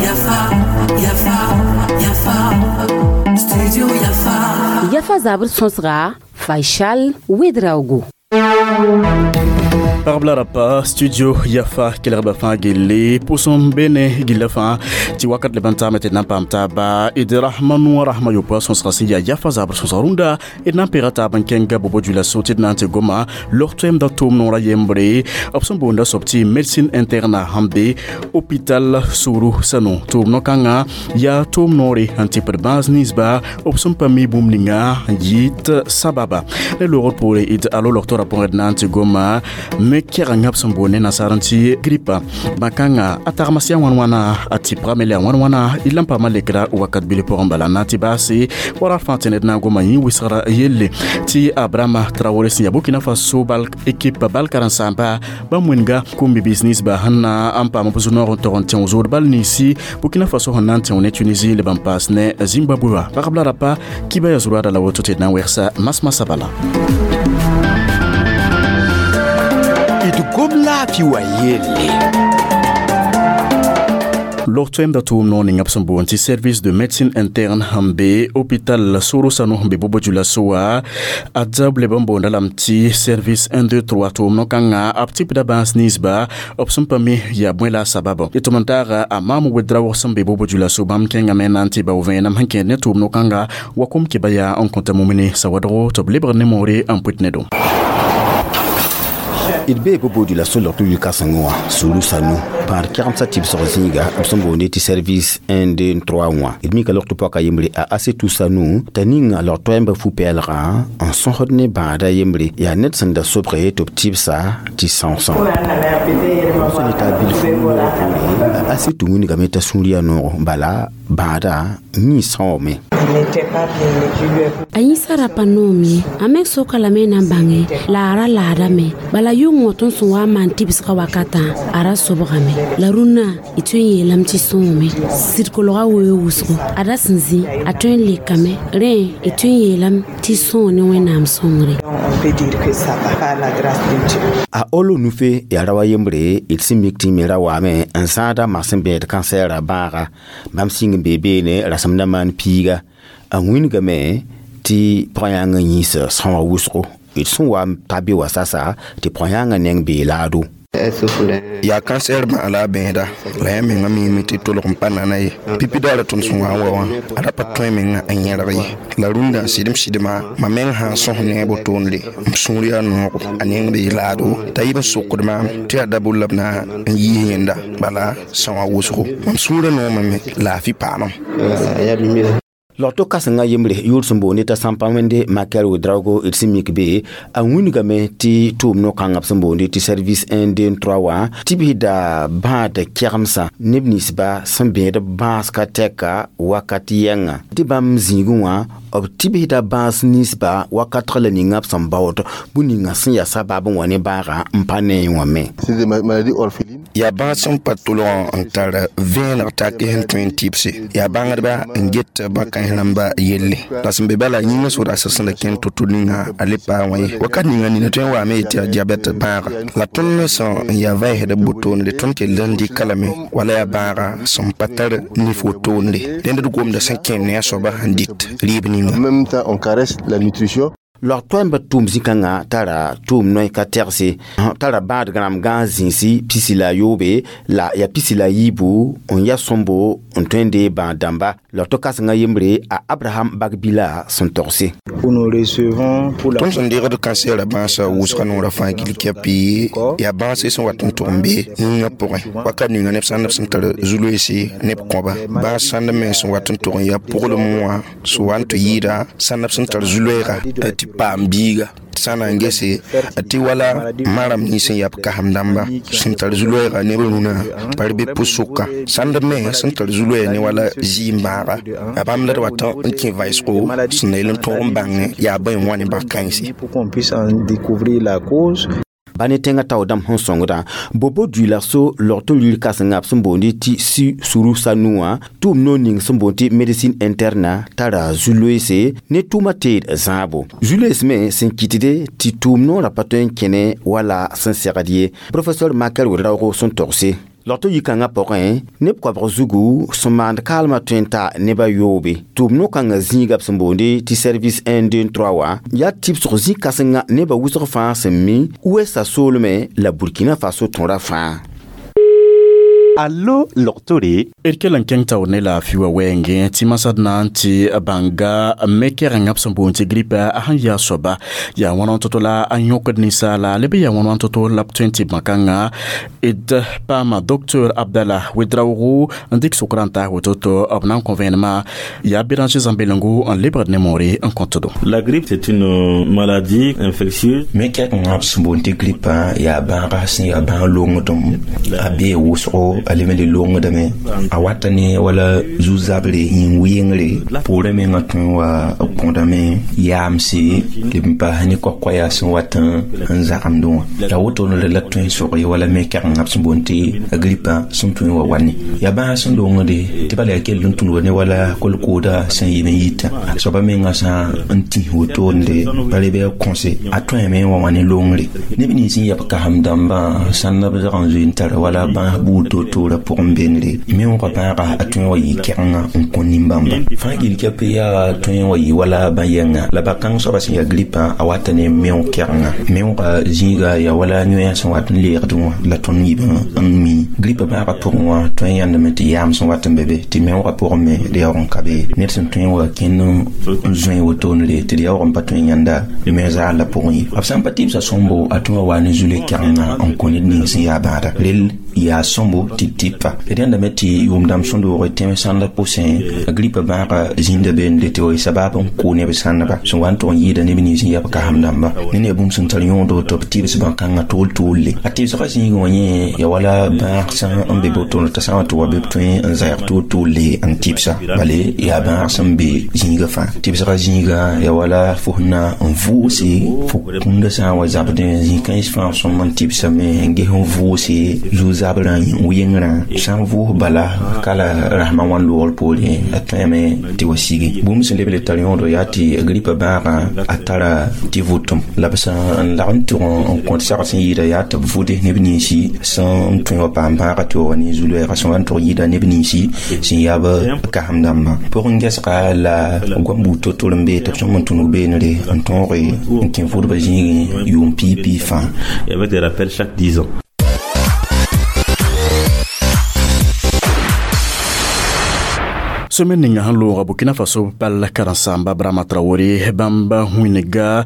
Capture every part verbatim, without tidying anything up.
Yafa, Yafa, Yafa, Studio Yafa. Yafa zabr sõsga Faisal Ouedraogo. Pagb la rapa studio Yafa kelgba fãa gilli pʋsem be ne gilla fãa tɩ wakat leb n taame tɩ d na n paam taaba d rasma noor rasma yopoa sõsga sẽn yaa Yafa zabr sõsg rũndã d na n pega taab n kẽnga Bobo Dioulasso tɩ d na n tɩ goma log-toɛɛmda tʋʋm noorã yembre b sẽn boonda soab tɩ médecine interne sẽn be hôpital Suru Sanou tʋʋm no-kãngã yaa tʋʋm noore n tɩpd bãas ninsba b sẽn pa mi bũmb ninga n yɩɩt sababa ne loogr poore d alo logtorã pʋgẽ d na n tɩ goma me kɛgengã b sẽn boond ne nasaar n tɩ gripa bãn-kãngã a tagma sɩ a wãn wãna a tɩpgame la a wãn wãna y la n paama lekra wakat bil pʋgẽ bala n na n tɩ baase wara fãa tɩ ned na n goma yẽ wɩsgra yelle tɩ Abrahama Traoré sẽn yaa Burkina Faso bal équipe bal karen-saamba bãmb wĩnga kũm-bi-biis ninsba sẽn na n paam b zu-noog n tog n tẽ zood bal ninsi Burkina Faso sẽn na n tẽo ne Tunisie leb n paas ne Zimbabwe wa pagb la rapa kiba ya zurada la woto tɩ d na n wegsa masmasã bala. D gom laafɩ wa yelle. Log-toɛɛmda tʋʋm noor ninga b sẽn boond tɩ service de médecine interne sẽn be hôpital Soro Sanou sẽn be Bobo Dioulasso wã a dzab leb n boonda lame tɩ service un deux trois tʋʋm no-kãngã b tɩpda bãas ninsba b sẽn pa mi yaa bõe la a sabab tɩ tʋm n taaga a maam Ouedraogo sẽn be Bobo Dioulasso bãmb kẽngame na n tɩ bao vẽenem sẽn kẽed ne tʋʋm no-kãnga wa kom kɩba yaa n kõta mumini sawadgo tɩ b lebg ne moore n pʋt ne do. D bee Bobo Dioulasso log tɩ yʋ-kãsengẽ wã Suru Sanou pãad kɛgemsã tɩbsg zĩiga b sẽn boonde tɩ service un deux trois wã d mika log tɩ pɔka yembre a Asetou Sanou t'a ninga log toɛɛmbã fu-pɛɛlgã n sõsd ne bãada yembre yaa ned sẽn da sobge tɩ b tɩbsa tɩ sãoosã sẽn ne taa bilf noogã poore a Asetou wĩndgame t'a sũur yaa noogo bala bãada yĩi sãoome. A yĩsã ra pa noom ye a me soka lame na n bãnge la a ra laadame bala yʋngõ tõnd sẽn wa n maan tɩbsgã wakatã a ra sobgame la rũnnã y tõe n yeelame tɩ sõome sɩd kolga weoog wʋsgo a ra sẽn zĩ a tõe n lekame rẽ y tõe n yeelame tɩ sõo ne Wẽnnaam sõngre. A olo nufe yaa ra wa yembre d sẽn mik tɩ me ra waame n zãada magsem bẽed kansɛɛrã bãaga bãmb sĩng n bee beene rasem na maan piiga a wĩndgame tɩ pʋgã-yãngã yĩs sõa wʋsgo d sẽn wa n ta be wa sasa tɩ pʋgã-yãngã neng bee laado. Yaa cancer bãag la a bẽeda la yã menga miime tɩ tolg n pa nana ye pipi daara tõnd sẽn wa n wa wã a ra pa tõe menga n yẽrg ye la rũndã sɩdem sɩdma mam meng sã n sõs ne a botoonde m sũur yaa noogo a neng bee laado t'a yib n sokd maam tɩ yaa dabol la b na n yiis yẽnda bala sõa wʋsgo mam sũurã noomame laafɩ paamam. Log-to kãsengã yembre yʋʋr sẽn boonde t'a sãmpa wẽnde Makel Ouedraogo d sẽn mik be a wĩndgame tɩ tʋʋm no-kãngã b sẽn boonde tɩ service un deux trois wã tɩ bisda bãad kɛgemsã neb ninsba sẽn bẽed b bãas ka tɛka wakat yɛngã tɩ bãmb zĩigẽ wã b tɩ bisda bãas ninsba wakatg la ninga b sẽn baood bũmb ninga sẽn yaa sabab n wa ne bãagã n pa ne wã me. Yaa bãas sẽn pa tolgã n tar vẽeneg take sẽn tõe n tɩbse yaa bãngdba n get bãkãns rãmba yelle la sẽn be bala yĩngã so-rasg sẽn da kẽnd to-to ninga a le paa wã ye wakat ninga nina tõe n waame yetɩ yaa diabɛt bãaga la tõnd sẽn n yaa vãensd b botoonde tõnd kell n dɩka lame wala yaa bãaga sẽn pa tar nif wotoonde dẽnd d gomda sẽn kẽnd ne a soaba sẽn dɩt rɩɩb ninga. Log toɛɛmbã tʋʋm zĩ-kãngã tara tʋʋm noy ka tɛgse tara bãadg rãmb gãas zĩisi pisi la a yoobe la yaa pisi la a yiibu n ya sõmbo n tõe n dee bãad dãmba log to kãsengã yembre a Abraham Bagbila sẽn togse. Tõnd sẽn degd kansɛɛrã bãasã wʋsga noorã fãa gill kɛpɩ yaa bãase sẽn wat n tʋg n be yĩngã pʋgẽ wakat ninga neb sãnd b sẽn tar zu-loeese neb kõba bãas sãnd me sẽn wat n tʋg n yaa pʋglem wã sẽn wa n tɩ yɩɩda sãnd b sẽn tar zu-loeega tɩ paam biiga sã na n gese tɩ wala maram nins n yaa b kasem dãmba sẽn tar zu-loɛɛga neb rũnã pa r be pʋs-sʋka sãnd me sẽn tar zu-loɛɛ ne wala zɩɩm bãaga yaa bãmb la d wat n kẽ vaɩsgo sẽn na yel n tõog n bãngẽ yaa bõe n wa ne bãn-kãense. Ba ne tẽngã tao dãmb sẽn sõngdã bobo duila so logto luiir kãsenga b sẽn boondi tɩ si suru sanu wã tʋʋm noor ning sẽn boond tɩ médecine interne tara zu-loeese ne tʋʋmã teed zãabo zu-loees me sẽn kɩtde tɩ tʋʋm noorã pa tõe n kẽne wala sẽn segd ye professeur Makel Ouedraogo sẽn togse logto yikãngã pʋgẽ neb koabg zugu sẽn maand kaalmã tõe n ta neb a yoobe tʋʋm no-kãngã zĩiga b sẽn boonde tɩ service un deux trois wã yaa tɩbsg zĩ-kãsenga nebã wʋsg fãa sẽn mi Ouest soolmẽ la Burkina Faso tõra fãa. Allo logtore. D kell n kẽng taoor ne laafɩ wã wɛɛngẽ tɩ masd na n tɩ bãnga me kɛgengã b sẽn boond tɩ gripe a sẽn yaa soaba yaa wãn to-to la a yõkd ninsaala leb yaa wãn to-to la b tõe n tɩ bãn-kãngã d paama docteur Abdallah Ouedraogo n dɩk sʋkrã n taas woto-to b na n kõ vẽenemã yaa Béranger Zãmbelengo n lebgd ne moore n kõtdo. La grippe, c'est une maladie infectieuse. Me kɛkẽngã b sẽn boond tɩ gripa yaa bãaga sẽn yaa bãag longdem a bee wʋsgo a leb n le longdame a wata ne wala zu-zabre yĩn-wɩngre poorã mengã tõe n wa kõdame yaamse leb n paas ne koa-koɛɛg sẽn wat n zagemdẽ wã la wotone la tõe n sog ye wala me kɛgengã b sẽn boond tɩ gripã sẽn tõe n wa wa ne yaa bãag sẽn longde tɩ bala yaa kell n tũnuga ne wala kolkooda sẽn yɩ n yita soaba mengã sã n tĩs wotonde pa leb yaa kõse a tõeme n wa wã ne longre neb nins n yab kasem dãmbã sãnda b zag n zoe n tara wala bãas buud to-toorã pʋgẽ bendre meoogã bãaga a tõe n wa yɩ kɛgenga n kõ nin-bãmba fãa gill kɛp yaa tõe n wa yɩ wala bã-yɛnga la ba-kãng soaba sẽn yaa gripã a wata ne meoog kɛgenga meoogã zĩiga yaa wala yõe sẽn wat n leegdẽ wã la tõnd yib n mi gripa bãagã pʋgẽ wã tõe n yãndame tɩ yaam sẽn wat n be be tɩ meoogã pʋgẽ me d yaoog n ka be ned sẽn tõe n wa kẽnd n zoe wotonre tɩ d yaoog n pa tõe n yãnda me zaal la pʋgẽ ye b sã n pa tɩbsa sõmbo a tõe wa wa ne zule kɛgenga n kõ ned ning sẽn yaa bãada rel yaa sõmbo tɩ tɩpa d yãndame tɩ yʋʋm dãmb sõdoog tẽm sãndã pʋsẽ gripa bãaga zĩnda beende tɩ wa sabab n kʋ neb sãndba sẽn wa n tʋg n yɩɩda neb nins n yab kasem dãmba ne ne bũmb sẽn tar yõodo tɩ b tɩbs bãn-kãngã tool-toolle a tɩbsgã zĩigẽ wã yẽ ya wala bãag sã n be botone t'a sã n wa tɩ wa be b tõe n zɛɛg tool-toolle n tɩbsa bale yaa bãag sẽn be zĩigã fãa tɩbsgã zĩigã ya wala fo sẽn na n vʋʋse fo kũndã sã n wa zabdẽ zĩ-kãens fãa sõm n tɩbsame n ges n vʋʋse zu-zabrã wɩngrã sã n vʋʋs bala kala rasmã wã loogr poorẽ a tõeme tɩ wa sigi bũmb sẽn leb le tar yõodo yaa tɩ gripa bãagã a tara tɩ vʋtem la b sã n lag n tʋg n kõt sagr sẽn yɩɩda yaa tɩ b vʋde neb ninsi sẽn tõe wa paam bãaga tɩ wa wa ne zu-loɛɛga sẽn wa n tʋg yɩɩda neb ninsi sẽn yaa b kasem dãmbã pʋgẽ gɛsga la goam buud to-tor n bee tɩ b sõm n tũnug beenre n tõoge n kẽ vʋdbã zĩigẽ yʋʋm piig-piig fãa. Et avec des rappels chaque dix ans. Semaine ninga sẽn looga Burkina Faso bal karen-saamba Brama Traoré bãmb wĩnga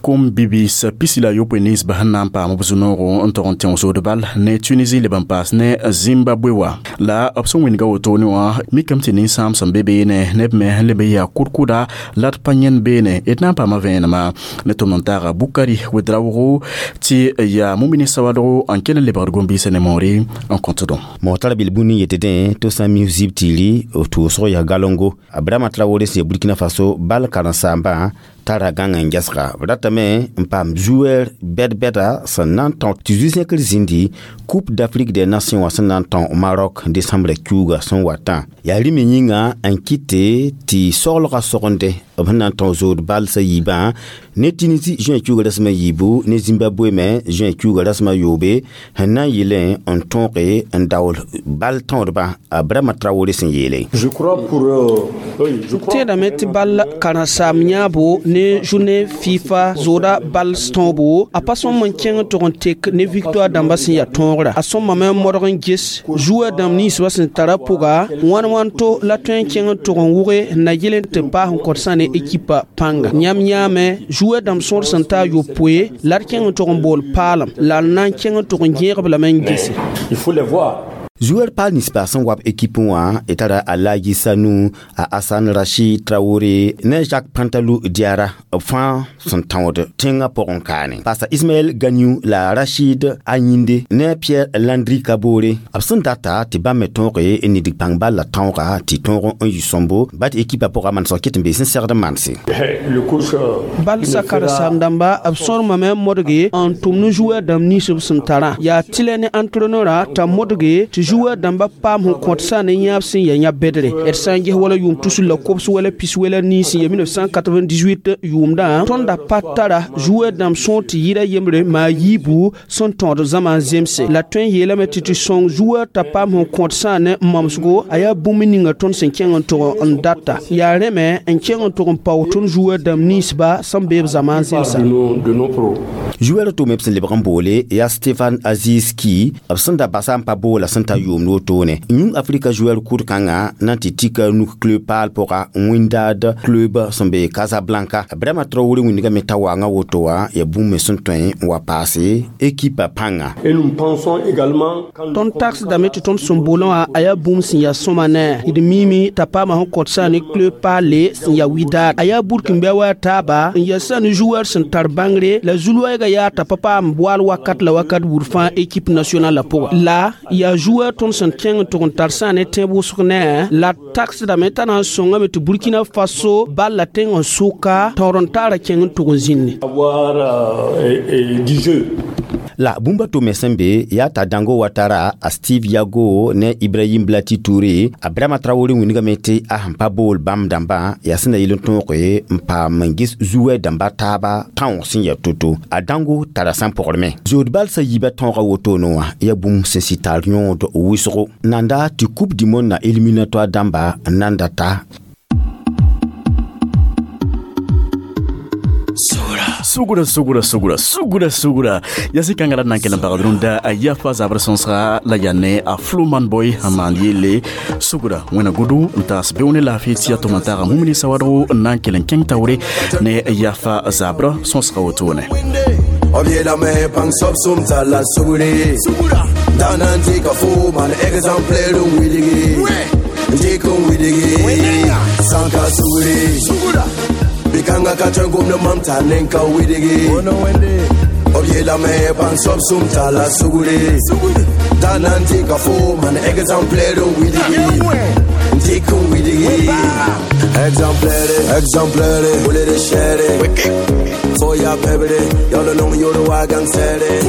kom-bibis pisi la yopoe ninsba sẽn na n paam b zu-noogo n tog n tẽng sood bal ne Tunisie leb n paas ne Zimbabwe wa la b sẽn wĩnga wotone wã mikame tɩ ninsãam sẽn be beene neb me sẽn leb n yaa kʋd-kʋda la d pa yẽnd beene d na n paama vẽenema ne tʋmd n taaga Bukari Ouedraogo tɩ yaa Mumini Sawadogo n kell n lebgd gom-biisã ne moore n kõtdõ. Motara bil bũmb ning yetɩ dẽ tɩ sã n mi zib tiiri tʋʋsg yaa galongo Abraham Traoré sẽn ya Burkina Faso bal karen-saambã tara gãng n gɛsga b ratame n paam joueur bɛd-bɛda sẽn na n tão tɩ zu-zẽkr zĩndi Coupe d'Afrique des Nations wã sẽn na n tão Maroc décembre kiuugã sẽn watã yaa rĩm yĩnga n kɩte tɩ soglgã sogende b sẽn na n tão zood balsã yiibã ne Tunisie juin kiuugã rasem a yiibu ne Zimbabwe me juin kiuugã rasem a yoobe sẽn na n yɩlẽ n tõoge n daool bal tõodbã Abraham Traoré sẽn yeele. Tẽedame tɩ bal karen-saam yãabo ne journée FIFA zooda bal tõobo a pa sõm n kẽng tʋg n tek ne victoire dãmba sẽn yaa tõogra a sõmame n modg n ges joueur dãmb ninsbã sẽn tara pʋga wãn wãn to la tõe n kẽng n tʋg n wʋge n na yel n tɩ paas n kõt sã ne ekipa pãnga yãmb yãame joueur dãmb sõor sẽn taa yopoe la d kẽng n tʋg n bool paalem la n na n kẽng n tʋg n gẽegb lame n gese. Il faut les voir. Joueur paal ninsba sẽn wa b équipe wã y tara Alaji Sanu, a Hassan Rachid Traoré ne Jacques Pantalou Diarra b fãa sẽn tãood tẽngã pʋgẽ kaane. Pasa Ismaël Gagnou la Rachid Ayinde ne Pierre Landry Kabore b sẽn data tɩ bãmb me tõoge n nidg pãng bal la tõoga tɩ tõog n yɩ sõmbo ba tɩ équipe pʋgã manesg kɩt n bee sẽn segd n manse. Bal sa karen-saam dãmba b sõrmame modge n tʋm ne joueur dãmb nins b sẽn tarã yaa tɩlɛ ne entraîneur t'a modge tɩ joueur dãmba paam sẽn kõt sã ne yãab sẽn ya yã bedre d sã n ges wala yʋʋm tusr la kobs wala pis wala nii sẽn ya mille neuf cent quatre-vingt-dix-huit yʋʋmdã tõnd da pa tara joueur dãmb sõor tɩ yɩra yembre maa yiibu sẽn tõod zãma n zemse la tõe n yeelame tɩ tɩ sõng joueur t'a paam sẽn kõt sã ne mamsgo a yaa bũmb ninga tõnd sẽn kẽng n tʋg n data yaa rẽ me n kẽng n tʋg n paoog tõnd joueur dãmb ninsba sẽn be b zãma n zemsa. Joueur to me b sẽn lebg n boole yaa Stefan Aziz Ki b sẽn da basa n pa boola sẽn ta yʋʋmd wotone yũng Afrika joueur kʋd-kãngã na n tɩ tika nuk club paal pʋga Wydad club sẽn be Casablanca. Brahma Traoré wĩndgame t'a waangã woto wã yaa bũmb me sẽn tõe n wa paase équipe pãnga. Tõnd tagsdame tɩ tõnd sẽn boolã wã a yaa bũmb sẽn yaa sõma ne d miime t'a paama sẽn kõt sã ne club paale sẽn yaa Wydad a yaa burkĩnbɛ wa taaba n yaa sã ne joueur sẽn tar bãngre la zu-loɛɛgã yaa t'a pa paam boaal wakat la wakat buud fãa équipe nationale la pʋgã la yaa joueur tõnd sẽn kẽng n tʋg n tar sã ne tẽeb wʋsg ne la tagsdame t'a na n sõngame tɩ Burkina Faso bal la tẽng n sʋka taoor n taara kẽng n tʋg n zĩnne. La bũmb to me sẽn be yaa t'a Dango Watara a Steve Yago ne Ibrahim Blati Touré a Brahma Traoré wĩndgame tɩ a sẽn pa bool bãmb dãmbã yaa sẽn na yɩl n tõoge n paam n ges zu-wɛ dãmba taaba tãoog sẽn yaa to-to a Dango tara sã n pʋgrme zood balsã yiibã tõoga wotone wã yaa bũmb sẽn sɩ tar yõod wʋsgo nanda tɩ Coupe du monde na éliminatoire dãmba n nan data. Sugura sugura sugura sugura sugura yasi kãngã la d na n kell n pagd rũndã a Yafa zabr sõsga la yaa ne a Floman Boy n maan yelle sugura wẽna gʋdũ n taas beoog ne laafɩ tɩ yaa tʋm n taaga mumini sawadgo n na n kell n kẽng taoore ne Yafa zabr sõsga wotone. B yeelame pãng soab sʋm tar la sugre da na n dɩka fo maan exemplaire n wilgi n dɩk n wilgi sã n ka sugre bɩ-kãngã ka tõe n gomd mam t'a nen ka wilgi b yeelame pãng soab sʋm tar la sugre da na n dɩka fo maan exemplaire n wilgi n dɩk n wilgi exemplaire exemplaire bole de chere fo ya pebre yalo nong yoro wa gang sere.